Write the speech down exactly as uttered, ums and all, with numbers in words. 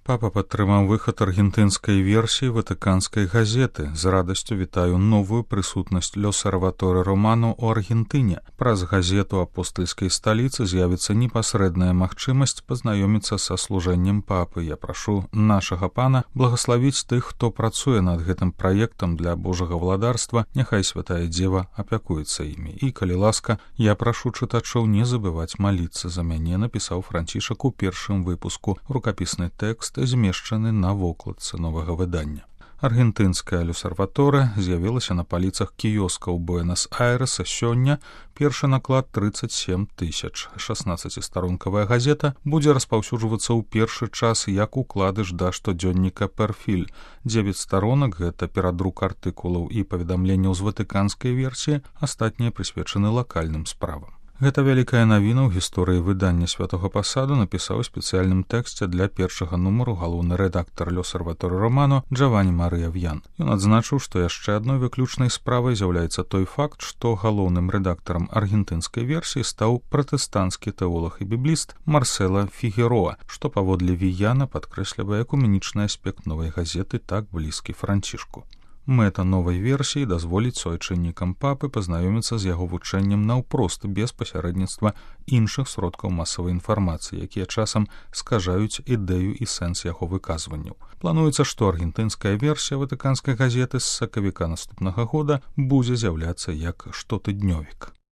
Папа падтрымаў выхад аргентынскай версіі ватыканскай газеты. З радасцю вітаю новую прысутнасць L'Osservatore Romano ў Аргентыне. Праз газету апостальскай сталіцы з'явіцца непасрэдная магчымасць пазнаёміцца са служэннем папы. Я прашу нашага пана благаславіць тых, хто працуе над гэтым праектам для Божага владарства. Няхай святая дзева апякуецца імі. І, калі ласка, я прашу чытачоў не забываць маліцца за мяне, напісаў Францішак у першым выпуску. Рукапісны тэкст змешчаны на вокладцы новага выдання. Аргентынская L'Osservatore з'явілася на паліцах кіёскаў Буэнас-Айрэса сёння. Першы наклад тридцать семь тысяч. шаснаццацістаронкавая газета будзе распаўсюджвацца ў першы час як укладыш да штодзённіка «Перфіль». дзевяць старонак — гэта перадрук артыкулаў і паведамленняў з ватыканскай версіі, астатнія прысвечаны лакальным справам. Гэта вялікая навіна ў гісторыі выдання святога пасаду, напісаў у спецыяльным тэксце для першага нумару галоўны рэдактар L'Osservatore Romano Джаванні Марыя В'ян. Ён адзначыў, што яшчэ адной выключнай справай з'яўляецца той факт, што галоўным рэдактарам аргентынскай версіі стаў пратэстанцкі тэолаг і бібліст Марсела Фігероа, што паводле В'яна падкрэслівае экуменічны аспект новай газеты, так блізкі Францішку. Мэта новай версіі дазволіць суайчыннікам папы пазнаёміцца з яго вучэннем наўпрост, без пасярэдніцтва іншых сродкаў масавай інфармацыі, якія часам скажаюць ідэю і сэнс яго выказванняў. Плануецца, што аргентынская версія ватыканскай газеты з сакавіка наступнага года будзе з'яўляцца як штотыднёвік.